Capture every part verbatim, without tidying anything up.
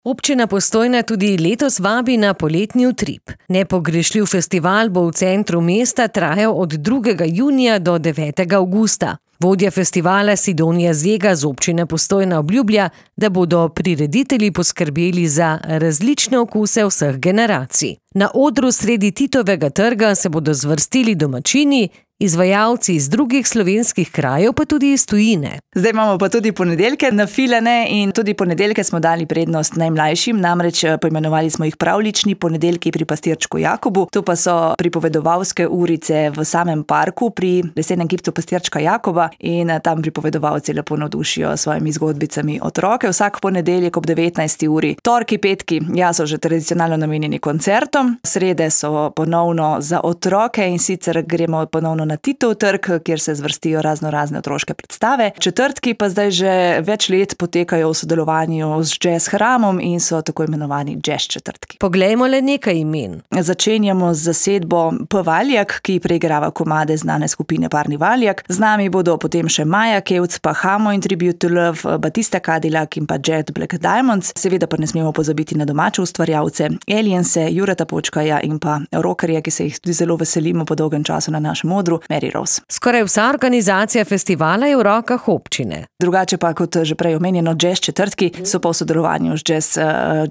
Občina Postojna tudi letos vabi na poletni utrip. Nepogrešljiv festival bo v centru mesta trajal od drugega junija do devetega avgusta. Vodja festivala Sidonija Zega z občine Postojna obljublja, da bodo prireditelji poskrbeli za različne okuse vseh generacij. Na odru sredi Titovega trga se bodo zvrstili domačini, izvajalci iz drugih slovenskih krajev, pa tudi iz tujine. Zdaj imamo pa tudi ponedeljke nafilane in tudi ponedeljke smo dali prednost najmlajšim, namreč poimenovali smo jih pravlični ponedeljki pri pastirčku Jakobu. To pa so pripovedovalske urice v samem parku pri lesenem kipcu pastirčka Jakoba in tam pripovedovalci lepo navdušijo s svojimi zgodbicami otroke. Vsak ponedeljek ob devetnajsti uri. Torki, petki, ja, so že tradicionalno namenjeni koncertom. Srede so ponovno za otroke in sicer gremo ponovno na Titov trg, kjer se zvrstijo razno razne otroške predstave. Četrtki pa zdaj že več let potekajo v sodelovanju z Jazz Hramom in so tako imenovani Jazz četrtki. Poglejmo le nekaj imen. Začenjamo z zasedbo P. Valjak, ki preigrava komade znane skupine Parni Valjak. Z nami bodo potem še Maja Kevc, pa Hamo in Tribute to Love, Batista Cadillac in pa Jet Black Diamonds. Seveda pa ne smemo pozabiti na domače ustvarjalce, Aliense, Jureta Počkaja in pa rockerje, ki se jih tudi zelo veselimo po dolgem času na našem odru, Mary Rose. Skoraj vsa organizacija festivala je v rokah občine. Drugače pa, kot že prej omenjeno, Jazz četrtki so pa v sodelovanju z Jazz, uh,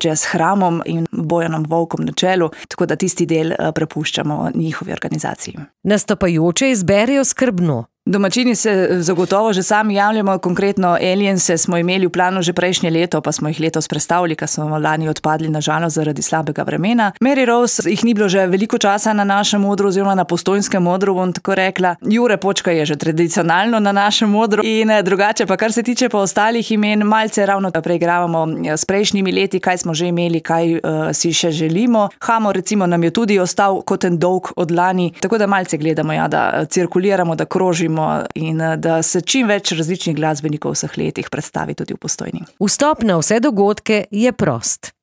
Jazz Hramom in Bojanom Volkom na čelu, tako da tisti del uh, prepuščamo njihovi organizaciji. Nastopajoče izberejo skrbno. Domačini se zagotovo že sami javljamo, konkretno Aliense smo imeli v planu že prejšnje leto, pa smo jih letos prestavili, ker smo lani odpadli na žalost zaradi slabega vremena. Mary Rose, jih ni bilo že veliko časa na našem odru oziroma na postojnskem odru, bom tako rekla. Jure Počka je že tradicionalno na našem odru in drugače pa, kar se tiče pa ostalih imen, malce ravno preigravamo s prejšnjimi leti, kaj smo že imeli, kaj uh, si še želimo. Hamo recimo nam je tudi ostal kot en dolg od lani, tako da malce gledamo, ja, da cirkuliramo, da krožimo in da se čim več različnih glasbenikov v vseh letih predstavi tudi v Postojni. Vstop na vse dogodke je prost.